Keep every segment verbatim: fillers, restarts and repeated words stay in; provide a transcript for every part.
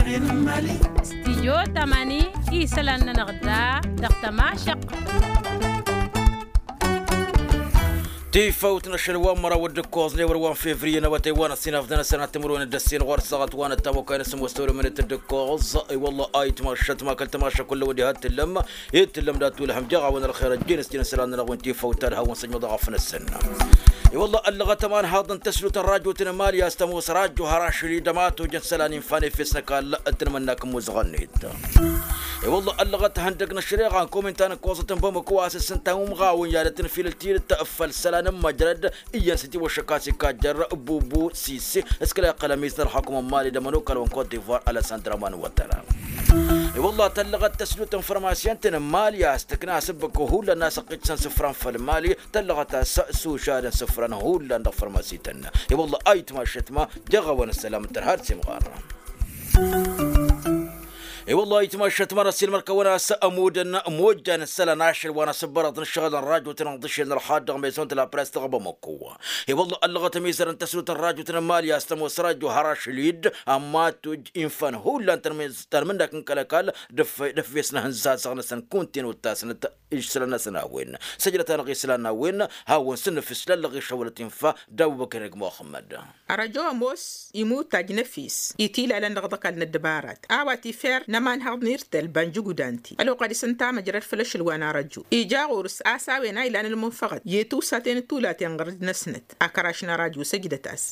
Studyo tămani isălan-nănăɣ da dăɣ-tămašăq. Tifawt n-ašăl wa n-măraw d-ǝkkoẓ n-ewăr wa n-fevriye n-awătay wa n-ăssinafdăn asănat timǝrwen d-ăssin ɣur-săɣăt wa n-ăttamăkay n-asǝmmos tawrămănet d-ǝkkoẓ. I-wălla a itmašăt ma kăl-tamašăk kull-ăwăd iha t-tǝllăm. Ittǝllăm dat-wǝlhăm jeɣ a-wen ălxer ăjjeen s-jăn isălan-nănăɣ wen tifawt talhawăn săjmăḍ aɣăf n-ăssăn. I-wălla ăllăɣăt ămanhaḍ n-tăslut n-rajot n-emali a-s tămoos rajo har ašăl-i d-ămatoj n-isălan infa n-efes n-ăkall. Ǝttǝnmănnak n-imuzăɣăn-net. I-wălla ăllăɣăt hăndăg n-ăššăreɣa n-kominta n-ǝkkoẓăt n-bamăko a-s ǝssǝnta umɣawăn i-ad-ăttǝnfilăl tidǝt făll-isălan n-măjrăd iyyăn s-itiwăššăk a-s ikajjăr bubu sise s-kăla iqqăl ămiz n-ălxukǝm n-mali d-ămănokal wa n-kot divoir alăsandra manwătăra. I-wălla tăllăɣăt tăslut n-fărmasiyăn-tăn n-mali a-s tǝkna asǝbbǝk hullan n-asăqqit s-ănsǝfran făll-mali. Tăllăɣăt a-s s-ušad n-isǝfran hullan dăɣ-fărmasităn. I-wălla a itmašăt ma jeɣ a-wen ăssălam n-tărha d-simɣar. I-wălla a itmašăt ma n-ăssiilmăr-kăwăn a-s ămudăn mojjan isălan ašăl wa n-asǝbbărăḍ n-ǝššăɣǝl n-rajotăn ănḍǝšel n-ălxadd dăɣ-mezon d-lapress dăɣ-bamăko. I-wălla ăllăɣăt ămizăr n-tăslut n-rajotăn n-mali a-s tămoos rajo har ašăl-dd ămmatoj infan hullan tărmǝnnak n-kăl-ăkall d-ăffes n-ehăn zazăɣ-năsăn kunta-en ottasnăt. Isălan-năsăn a-wen săjdăt-anăɣ isălan n-a-wen. Hawăn-sǝnnǝfǝs lăllăɣ išăwălăt infa d-abubăkr eg muxămmăd. Ărăjo ămoos imutaj n-efes itilalăn dăɣ-ăḍăkal n-ăddăbarat a-wa tifer n-ămanhăḍ n-irtel banjǝgudanti ălwăqq ad-isǝnta măjrăd făll-ašăl wa n-arăjo ija ɣur-s a-s a-wen a ilan ălmunfăɣăt i-tiwsaten d-tulaten ɣǝr-dd-năsnăt. Akăraš n-arăjo săjdăt-as.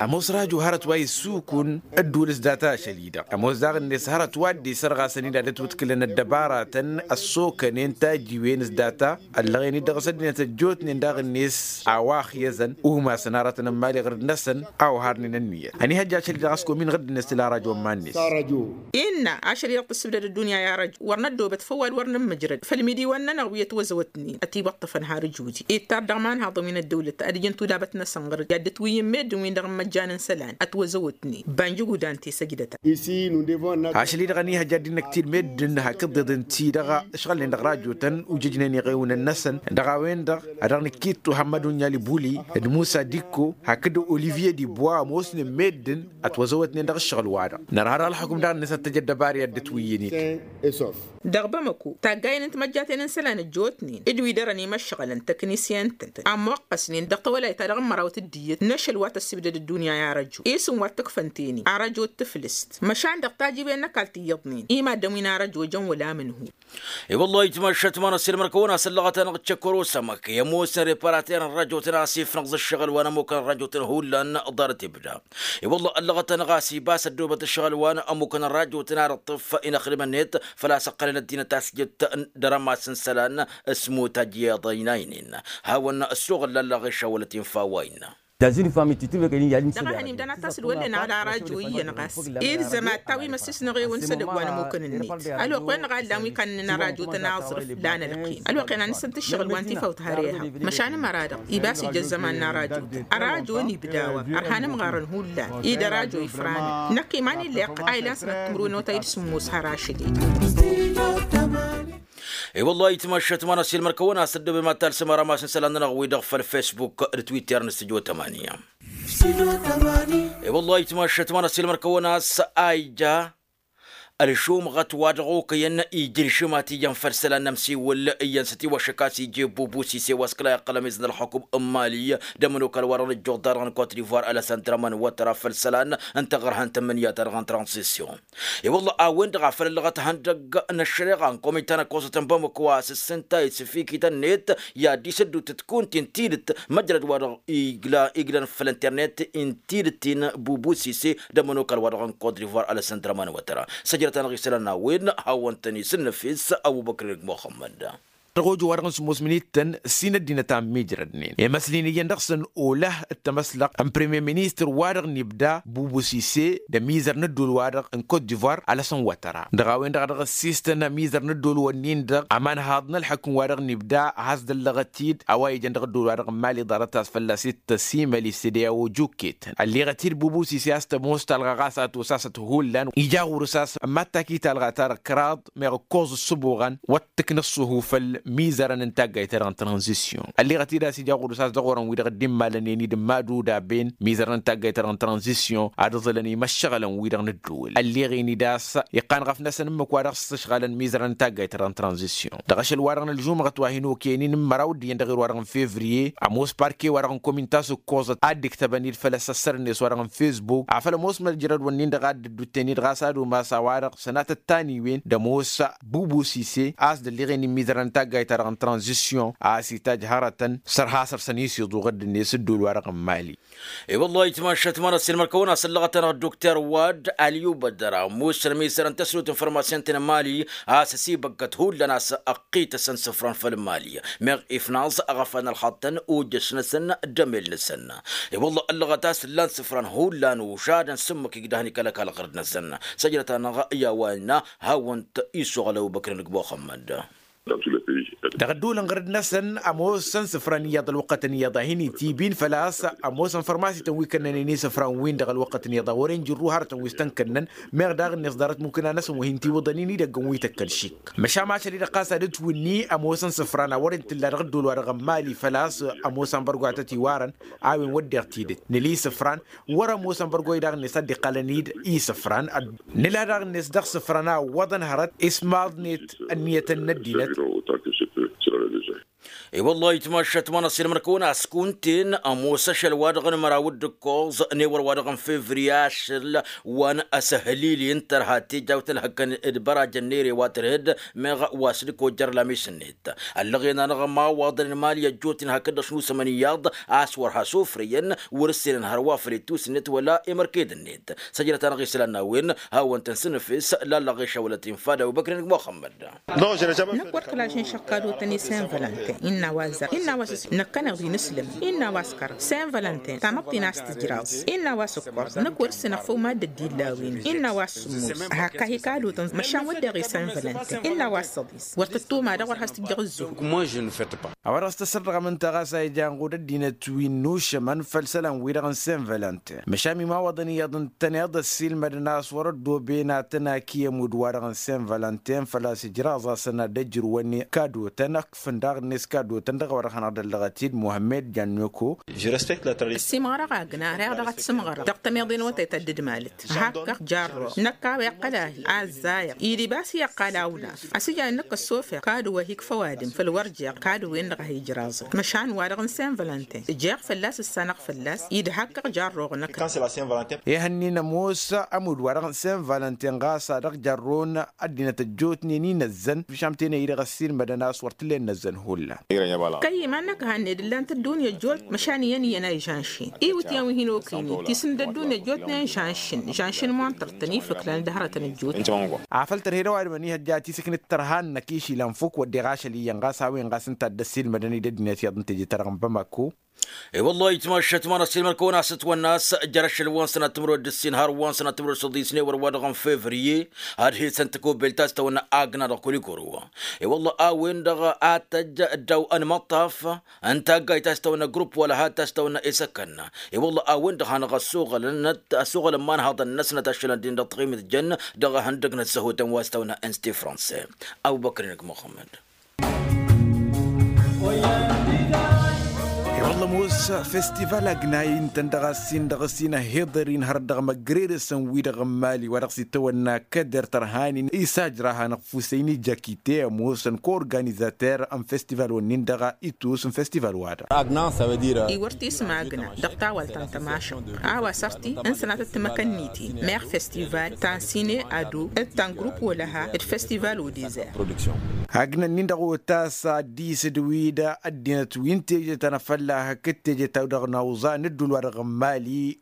Ămoos rajo hărăt wa issukun ădduul s-data ašăl-i-dăɣ ămoos daɣ-net hărăt wa dd-isărɣasăn-in ad-ătwǝdkǝlăn ăddăbaratăn ăssokănen tajiwen s-data ăllăɣen-dd dăɣ-s ăddinăt ăjjootnen daɣ-net a-wa ăxyăzăn umasăn aratăn n-imali ɣǝr-dd-năsăn. A oharnen ănniyăt ănihăjja ašăl-i-dăɣ a-s komin ɣǝr-dd-net tǝla rajo n-iman-net. Innă ašăl-i-dăɣ tǝssǝbdăd ăddunya i-arăjo wăr năddoobăt făw ad-wăr nǝmmǝjrăd făll-imidiwăn-nănăɣ wi ătwăzăwătnen ătiwăṭṭăfăn har ǝjudi ittar dăɣ-imanhaḍăn wi n-ăddăwlăt ad-ǝjǝn tudabăt-năsăn ɣăr-dd i-ad-dd-ătwǝyyǝn meddǝn-win-dăɣ n-imăjjan n-isălan ătwăzăwătnen. Banjǝgudan ti săjdăt-a. Ašăl-i-dăɣ ănihăjja ăddinăk ti d-meddǝn hakd iḍeḍ ǝnta-i-dăɣ ǝšɣǝlnen dăɣ-rajotăn ujǝjnen iɣewǝnăn-năsăn dăɣ-a-wen-dăɣ a dăɣ-nǝkkittu hămmăd unjal ibuli d-musa dikko hakd olivye dibwa ămoosnen meddǝn ătwăzăwătnen dăɣ-ǝššăɣǝl-wa-dăɣ. Nărha dăɣ-ălxukǝm daɣ-net ad-t-ăj ăddăbar i-ad-dd-ătwǝyyǝnet. Dăɣ-bamăko taggayen n-timăjjaten n-isălan ăjjootnen d-wi dărăn imăšɣălăn tăknisyen-tăn ămmoqqăsnen dăɣ-tawălayt ta dăɣ-ămmărawăt d-iyyăt n-ašăl wa tăssibdăd ăddunya i-arăjo isǝm wa t-ǝkfăn teni arăjo d-tǝflǝst. Măšan dăɣ-tajǝwen n-ăkall ti iyyăḍnen imaddăn wi n-arăjo ăjăn wăla amǝnhu. I-wăllah itmăššăt ma n-ăssiilmăr-kăwăn-as ăllăɣăt-anăɣ d-čăkăr osămăk i-ămoosăn reparatăr n-rajotăn a-s ifnăɣ zǝššăɣǝl wa n-ămmukăn rajotăn hullan. Ḍarăt ibda i-wăllah ăllăɣăt-anăɣ a-s ibas ăddoobăt ǝššăɣǝl wa n-ămmukăn rajotăn ad-ǝṭṭǝf inăxdǝm-net făl-a-s ǝqqălăn ăddinăt a-s jǝt dăr-ămass n-isălan. S-mutaj iyyăḍ ăynaynen hawăn-ăssoɣǝl lallăɣ išawălăt infa wa innă. Dăɣ-ehăn imdan ad-t-asǝlwăllen ala rajo iyyăn ɣas ilzăm ad-tawim ăssisnăɣ-ewăn s-edăgg wa n-ămmukăn-net. Ălwăqq-wen-dăɣ a ǝllan wi kannăn arajotăn aẓrǝf lan ălqim ălwăqq-en ad-nǝssǝnt ǝššăɣǝl wa n-tifawt har ehăḍ. Măšan ămăra-dăɣ ibas ija ăzzăman n-arajotăn ărajon ibda wa ărhan ǝmɣarăn hullan id-ărajoi fran. Năkk iman-i illeqq a ilan sănăt timǝrwen n-otay d-sǝmmos har ašăl-i. I-wăllah itmăššăt ma n-ăssiilmăr-kăwăn-as ăddoobe mad-talsăm arămas n-isălan-nănăɣ-wi-dăɣ făll-fesbuk d-twitter n-studyo tămani. I-wăllah itmăššăt ma n-ăssiilmăr-kăwăn-as a ija ălšumɣăt wa dăɣ-okăyăn ija ălšǝmat iyyăn făll-isălan n-ămsiwǝl iyyăn s-ătiwăššăk a-s ija i-bubu sise wa s-kăla iqqăl ămiz n-ălxukǝm n-mali d-ămănokal wa dăɣ-nǝjjuḍ-ta-dăɣ n-kot divoir alăsandra mănwătra făll-isălan n-taɣărhant n-imǝnǝya-ta-dăɣ n-tranzisyon. I-wălla a-wen-dăɣ a făl ăllăɣăt ihăndăgg n-ăššăreɣa n-komita n-ăkkoẓăt n-bamăko a-s ǝssǝnta isǝfikităn-net i-ad-dd-isǝddǝw tǝtkunt-in tidǝt măjrăd wa dăɣ-iglăn făll-internet n-tidǝt-in bubu sise d-ămănokal wa dăɣ-n kot divoir alăsandra manwătăra. Săjdăt-anăɣ isălan n-a-wen hawăn-tăn-isǝnnăfes ăbubăkr-eg muxămmăd. Dăɣ-ojo wa dăɣ-n sǝmmos mǝnittăn s-in ăddinăt a ămmiijrădnen i-măsli n-iyyăn dăɣ-săn olăh d-tamăslăɣt n-premier ministăr wa dăɣ-nibda bubu sise d-ămizăr n-ădduul wa dăɣ-n kot divoir alăsăn wătăra dăɣ-a-wen-dăɣ a dăɣ-ăssistăn ămizăr n-ădduul wănnin-dăɣ ămanhaḍ n-ălḥăkm wa dăɣ-nibda a has-dăllăɣăt-dd a-wa ijăn dăɣ-ădduul wa dăɣ-n mali ḍarăt a-s fălla-s ittăsimăl i-sede a ojukket ălleɣăt-dd bubu sise a-s tămoos talɣa ɣas a tosasăt hullan ija ɣur-s a-s ămmattak i-talɣa-ta-dăɣ kăraḍ meɣ ǝkkoẓ ǝssǝbuɣăn wăr t-tǝknǝṣṣuhu făll-mali. mizărăn n-taggayt-ta-dăɣ n-tranzisyon ălleɣăt-dd a-s ija ɣur-s a-s dăɣ-orăn-wi-dăɣ dd-immalăn-en-dd n-imadudaben mizărăn n-taggayt-ta-dăɣ n-tranzisyon ad-ǝẓǝlăn i-imăššăɣǝlăn-wi-dăɣ n-ǝddǝwǝl ălleɣen-dd a-s iqqan ɣăf-năsăn ǝmmǝk wa dăɣ-s ǝšɣalăn mizărăn n-taggayt-ta-dăɣ n-tranzisyon dăɣ-ašăl-wa-dăɣ n-ălžumăɣăt wa hin-okăyăn-in n-măraw d-iyyăn dăɣ-erwa-dăɣ n-fevriye ămoos parke-wa-dăɣ n-komin tasǝkkoẓăt ad-dd-iktăbăn-dd făll-asăssăr-net wa-dăɣ n-fesbuk afăl ămoos măjrăd-wǝnnin-dăɣ a dd-ǝddutăn-dd ɣas ad-umas a-wa-dăɣ sănatăt taniwen d-ămoos bubusise a-s dd-ălleɣen-in mizărăn n-taggayt-ta-dăɣ n-tranzisyon a-s itajj hărătăn săr-hasăr-săn isiḍuɣ dd-net ǝddul wa-dăɣ n-mali. I-wăllah itmašat manăs ilmăr kăwăn-asăllăɣăt-anăɣ dokter wad aliyubădăra musăn misărăn tăsnut n-fărmasăn-tăn n-mali a-s ăsibăggăt hullan a-s ăqqităsăn sǝfran făll-mali meɣ ifnaẓ aɣăfan ălxaṭṭăn ujjăš-năsăn d-emel-năsăn. I-wăllah ăllăɣăt a-s ǝllan sǝfran hullan ušadăn s-ǝmmǝk igdăhăn ikăl-ăkall ɣărd-năsăn. Săjdăt-anăɣ i-a-wa innă hawăn-t-isuɣăl ăbubăkr n-ǝgg muxămmăd. Dăɣ-ădduulăn ɣǝrǝd-năsăn ămoosăn isǝfran iyyăḍ ălwăqqătăn iyyăḍ a hin-itibin făl-a-s ămoosăn fărmasităn wi kănnănen isǝfran-win-dăɣ ălwăqqătăn iyyăḍ a wăren jǝrru hărătăn wi s-tăn-kănnăn. Meɣ daɣ-net ḍarăt mumkǝna-năsăn wa hin-tiwǝḍăn-in idăggăn wi tăkkăl šik măšan ašăl-i-dăɣ ɣas ad-ǝtwǝnni ămoosăn isǝfran a wăren tǝlla dăɣ-ădduul-wa-dăɣ n-mali făl-a-s ămoosăn bărgo a tăt-iwarăn a-wen wădden tidǝt nǝla isǝfran wăr-ămoosăn bărgo-i daɣ-net ad-dd-iqqalăn-dd isǝfran. Nǝla daɣ-net dăɣ-isǝfran a ǝwwăḍăn hărăt ismaḍnet ǝnniyătăn n-ăddinăt. I-wăllah itmašat manăs ilmăr-kăwăn-askunten ămoos ašăl-wa-dăɣ n-măraw d-ǝkkoẓ n-ewăr-wa-dăɣ n-fevriye ašăl wa n-asăhlili n-tărha tejawt ălhăkkăn d-bărajăn n-ere wa tărhed meɣ wa s-dd-kojjăr lamis-net. Ăllăɣen-anăɣ ămawaḍăn n-mali ăjjootnen hakd-dăɣ šnusămăn iyyăḍ a-s wăr hasofrăyăn wăr-ǝssenăn hărwa făll-ittus-net wăla i-mărked-net. Săjdăt-anăɣ isălan n-a-wen hawăn-tăn-sǝnǝfes lallăɣ išawălăt infad abubăkr n-muxămmăd. Năkk wăr kăla žănšăɣ kadotăn i-sen vălănten innă a-wa zar innă a-wa s-năkkăneḍ-i n-ǝslǝm innă a-wa s-kăra sen vălănten tamăḍt-in a-s tǝjraẓ innă a-wa s-ǝkkoẓ năkk wăr-ǝssinăɣ făw madd-ăddin la-wen innă a-wa s-sǝmmos hakka hi-kadotăn măšan wăddeɣ i-sen vălănten innă a-wa s-săḍis wăr tǝttuma dăɣ-wăr has-tǝjjăɣ ǝzzǝhu. A-wa dăɣ-s tăsărdăɣăm ǝnta ɣas a ijan ɣud ăddinăt wi n-nušămăn făll-isălan-wi-dăɣ n-sen vălănten măšan imawăḍăn iyyăḍ ǝntăneḍ ăssiilmădăn a-s wăr-ăddooben ad-tăn-aki ămudd-wa-dăɣ n-sen vălănten făl-a-s ǝjraẓ-asăn ad-ăjrǝwăn kadotăn ăkfǝn daɣ-net kadotăn dăɣ-a-wa dăɣ-hanăɣ-dd-ăllăɣăt-dd muhămmed janneko. Ăssiimɣărăɣ agna reɣ dăɣ-ad-t-sǝmɣărăɣ dăɣ-tămeḍe n-awătay ta dd-malăt hakkăɣ jarroɣ năkk a-wa iqqăl ahi azzayăɣ idib a-s i-iqqal awnaf ăsijăn năkk ăssofeɣ kadǝw-ahi ikfa ăwadǝm făll-wăr jeɣ kadǝw-en-dăɣ a hi-ijraẓăn măšan wa-dăɣ n-sen vălănten jeɣ fălla-s ǝssanăɣ fălla-s idha hakkăɣ jarroɣ năkk. Ehăn-in ămoos ămudd-wa-dăɣ n-sen vălănten ɣas a dăɣ-jarron ăddinăt ăjjootnen inăzzăn măšan tenăy-i-dăɣ ăssiilmădăn a-s wăr t-ǝllen inăzzăn hullan. Kăy-iman-năk a hanned ǝllan-t ăddunya ăjjoot măšan iyyăn iyyăn a ižănšin iwǝtyan wi hin-okăynen tisǝnd ăddunya ăjjootnen žănšin žănšin muntăr-tăn ifǝklan d-hărătăn ăjjootnen. Afăl tărhed ăwadǝm ănihăjja tisǝknǝt tărha-năk išilan fuk wădden ašăl iyyăn ɣas a-wen ɣas ǝnta a dd-ăssiilmădăn-dd ăddinăt iyyăḍ n-teje-ta-dăɣ n-bamako. I-wăllah itmašat manăs ilmăn kăwăn-asǝtwănna a-s jer-ašăl wa n-sănat timǝrwed d-ǝssin har wa n-sănat timǝrwed d-săḍis n-ewăr wa dăɣ-n fevriye ad-hesăn takubelt ta s-tawănna agna dăɣ-kulikoro. I-wăllah a-wen-dăɣ ad-tăjj ăddaw ănmăṭṭaf n-taggayt ta s-tawănna grupp wăla had ta s-tawănna isăkkăn. I-wăllah a-wen-dăɣ hanăɣ-ăssuɣălăn ăssuɣălăn imanhaḍăn-năsnăt ašălăn-dd-in dăɣ-tiɣimǝtjăn dăɣ-ihăndăg n-ăzzăhutăn wa s-tawănna insti franse. Abubăkr-in ăgg muxămmăd. I-wălla ămoos festival agna-i ǝntăn dăɣ-assin dăɣ-s inăhhiḍăr-in hărăt dăɣ-măggredăsăn-wi-dăɣ n-mali wa dăɣ-s itawănna kăder tărhan-in isajra hanăɣ-fusăyni jakite ămoosăn ko-organizater n-festival-wǝnnin-dăɣ itus n-festival-wa-dăɣ. Agna s-a wăr t-isǝm agna dăɣ-tawalt ta n-tămašăɣt a-wa sărti n-sănatăt timăkănnit-in meɣ festival ta n-sine ado d-ta n-grupp wăla ha d-festival odezer. Agna-nin-dăɣ otas ad-dd-isǝdǝw-dd ăddinăt wi n-teje ta n-afălla hakd teje ta-wi-dăɣ n-awẓa n-ădduul-wa-dăɣ n-mali.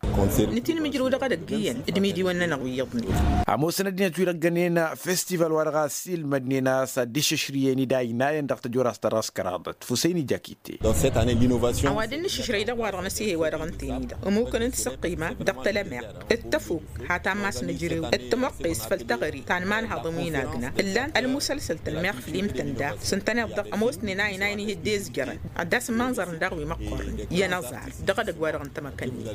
Nǝtinmǝjrǝw dăɣ-edăgg iyyăn d-imidiwăn-nănăɣ wi iyyăḍnen. Ămoosăn ăddinăt wi-dăɣ ǝggănen festival-wa-dăɣ a ăssiilmădnen a-s ad-dd-išǝšrǝyăn-dd a ăynayăn dăɣ-tăjorrast ta dăɣ-s kăraḍăt fusăyni jakite. Ăwadǝm n-išǝšrăy dăɣ-wa-dăɣ n-asihăy wa-dăɣ ǝnta-en-i-dăɣ ămukăn n-tisǝqqima dăɣ-tălămeɣ d-tăfuk hata n-mass n-ejrew d-tămoqqes făll-teɣăre ta n-imanhaḍăn wi n-agna ǝllan ălmusălsăl tălmeɣ. Imtăn daɣ s-ǝntăneḍ-dăɣ ămoosnen a inayăn ih' dd-ezjărăn ad-dd-asǝmmanẓărăn daɣ wi măqqornen i-ănăẓar dăɣ-edăgg-wa-dăɣ n-tamăkănnin.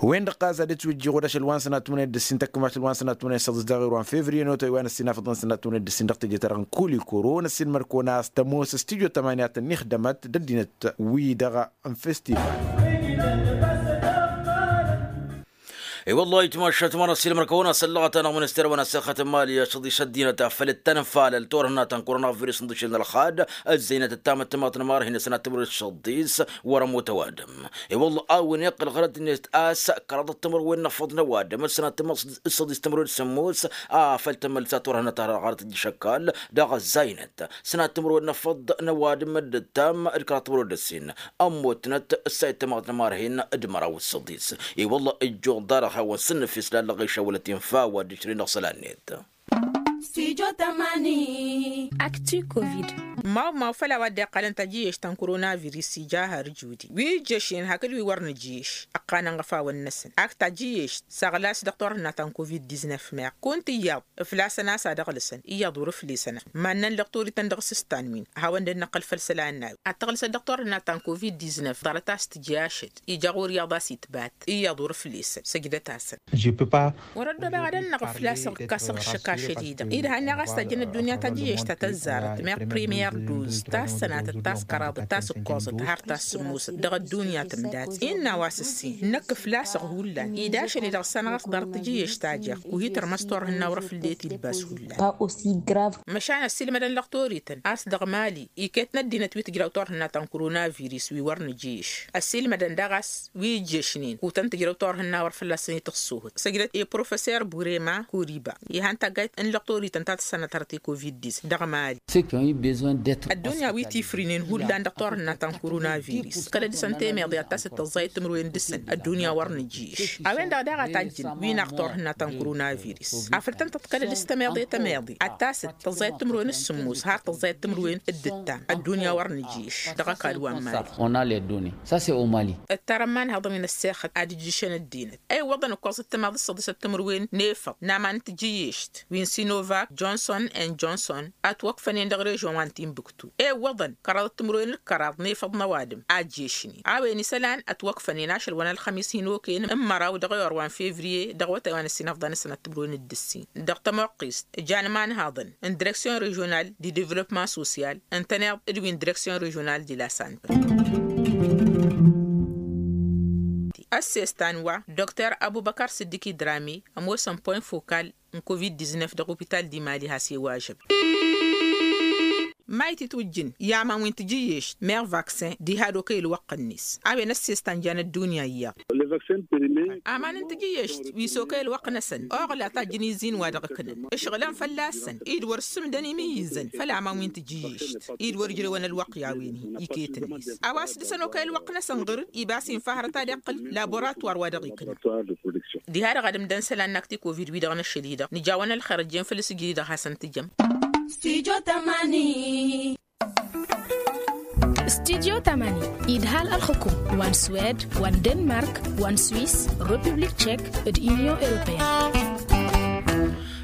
Wen-dăɣ ɣas ad-ătwǝjjǝɣ odăšăl wa n-sănatmăne d-ǝssin tăkkǝmašăl wa n-sănatmăne s-ăḍǝs daɣ ero n-fevriye n-otăy wa n-ăssinafăḍăn sănatmăne d-ǝssin dăɣ-teje-ta-dăɣ n-kulikoro n-ăssiilmăr-kăwăn a-s tămoos studyo tămani ad-tăn-ixdămăt d-ăddinăt wi-dăɣ n-festival. I-wăllah itmašat măra s-ilmăr-kăwăn a-s ăllăɣăt-anăɣ minister wa n-asăxăt n-mali ašăḍ išăddinăt a făl d-tanfalăl turhǝnna ta n-koronavirus n-dăšel n-ălxad ăzzăynăt d-tamăttămaḍt n-marhin s-năttămrăd šăḍis wăr-ămoot ăwadǝm. I-wăllah a-wen iqqăl ɣărăt-net a-s kăraḍăt timărwen n-afăḍ n-ăwadǝm s-năttămrăd s-săḍis timărwen s-sǝmmos a făl tămălsa turhǝnna ta ɣărăt dd-išăkkal dăɣ-ăzzăynăt s-năttămrwen n-afăḍ n-ăwadǝm d-ǝttam d-kăraḍ timărwen d-ǝssin. Ămmotnăt ǝssa ittămaḍ n-ămarhin d-măraw d-săḍis. I-wălla ǝjjuɣ-dd-arăɣ hawăn-sǝnnǝf islalăɣ išawălăt infa wa dd-išrǝnăɣ isălan-net. Stujo tamani. Akti covid. Maw-maw făl a-wa dd-iqqălăn tajǝyyešt ta n-koronavirus ija har judi wi ǝjješnen hakd wi wăr nǝjǝyyeš ǝqqanăn ɣăfawăn-năsăn ak tajǝyyešt săɣlas dăɣ-turhǝnna ta n-covid-diznăf meɣ kunta iyyăḍ ǝflasăn a-s ad-ăɣlǝsăn iyyăḍ wăr-ǝflesăn. Mannăn lăqtorităn dăɣ-s s-tanwin hawăn-dd-năqqǝl făll-isălan n-a-wi ad-tăɣlǝsăt dăɣ-turhǝnna ta n-covid-diznăf ḍarăt a-s tǝjǝy ašăl ija ɣur-iyyăḍ a-s itbat iyyăḍ wăr-ǝflesăn săjdăt-asăn. Wăr-ăddobeɣ ad-ănnăɣ ǝflasăɣ ǝkkasăɣ ǝššăk ašăl-i-dăɣ idhan i-ɣas tajjăn ăddunya tajǝyyešt ta tăzzarăt meɣ primiyăr duz ta s-sănatăt ta s-kăraḍăt ta s-ǝkkoẓăt har ta s-sǝmmosăt dăɣ-ăddunya tǝmdat innă a-wa s-ǝssin năkk ǝflasăɣ hullan ed ašăl-i-dăɣ ǝssanăɣ-as ḍarăt tajǝyyešt ta jeɣ wi hi-tărmăs turhǝnna wăr-făl dd-e-tilbas hullan. Măšan ăssiilmădăn lăqtorităn a-s dăɣ-mali iket n-ăddinăt wi tǝjraw turhǝnna ta n-koronavirus wi wăr nǝjǝyyeš ăssiilmădăn daɣ a-s wi ǝjješnen kutăn tǝjrăw turhǝnna wăr fălla-săn itǝxsuhǝt săjdăt i-professor burema koriba ihan taggayt n-lăqtorităn ta tǝssanăt hărăt i-covid-dis dăɣ-mali. Ăddunya wi tifrǝynen hullan dăɣ-turhǝnna ta n-koronavirus kăl-dd-săn temeḍe ad-tasăt tăẓẓayăt timǝrwen dăɣ-săn ăddunya wăr nǝjjǝyš a-wen-dăɣ daɣ a tajjǝn wi naɣ turhǝnna ta n-koronavirus afăl tăn-tăḍkălăd s-tămeḍe tămeḍe ad-tasăt tăẓẓayăt timǝrwen s-sǝmmos har tăẓẓayăt timǝrwen d-ǝttam ăddunya wăr nǝjjǝyš. Dăɣ-ăkall wa n-mali. Ăttarăn imanhăḍăn wi n-ăssexăt ad-ǝjjǝšăn ăddinăt ewăḍăn ǝkkoẓăt timaḍ s-săḍisăt timǝrwen n-efăḍ n-aman n-tijǝyyešt wi n-sinovak johnson and johnson ătwăkfănen dăɣ-režon wa n-timbuktu ewăḍăn kăraḍăt timǝrwen d-kăraḍ n-efăḍ n-ăwadǝm a ǝjješnen a-wen isălan ătwăkfănen ašăl wa n-ălxămis hin-okăyăn n-măraw dăɣ-ewăr wa n-fevriye dăɣ-awătay wa n-ăssinăfḍa n-ăsănat timǝrwen d-ǝssin dăɣ-tămoqqist jan imanhăḍăn n-direksyon režional di devlopman sosyal ǝntăneḍ d-wi n-direksyon režional di la sante. Ăssestan wa dr abubăkar sǝddiki drami ămoosăn point fokal n-covid-diznăf dăɣ-opital di mali has-e-wa ažăb. Mayt itwǝjjǝn i-aman wi n-tijǝyyešt meɣ vaksin diha d-okăy ălwăqq-net a-wen ăssestan jan ăddunya iyyăḍ. Aman n-tijǝyyešt wi s-okăy ălwăqq-năsăn oɣla tajjǝn izin wa dăɣ-ǝknăn ǝšɣǝlăn fălla-săn i-dd wăr-ǝssǝmdăn imǝyyǝzăn făll-aman wi n-tijǝyyešt i-dd wăr ǝjrewăn ălwăqq i-a-wen-hi iket-net a-wa s-dăɣ-săn okăy ălwăqq-năsăn ɣǝr-dd ibas infa hărăt ad-iqqǝl laboratwar wa dăɣ-iknăn. Diha-dăɣ ad-ǝmdăn isălan n-akti covid-wi-dăɣ n-ašăl-i-dăɣ nǝja-wăn ălxer ăjjeen făll-asǝjri-dăɣ hasăn-tǝjăm. Studio tamani. Studio tamani idhal ălxukum wa n-swed wa n-denmark wa n-swis, republik tchek, d-union europeen.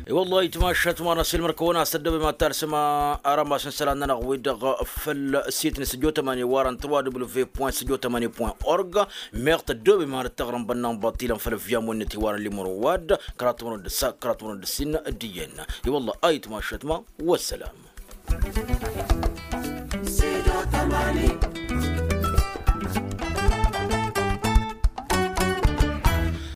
I-wăllah itmašat ma n-asilmăr-kăwăn-as tăddobem ad-talsăm arămas n-isălan-nănăɣ-wi-dăɣ făll-sit n-studio tamani wa răn trois w point studio tamani point org. Meɣ tăddobem ad-tăɣrăm bănnan baṭilăn făll-vyamu-net iwarăn limur wad kăraḍ timărwen d-ǝssa kăraḍ timărwen d-ǝssin. D-iyyăn i-wăllah a itmašat ma. Wăssălam. Studio tamani.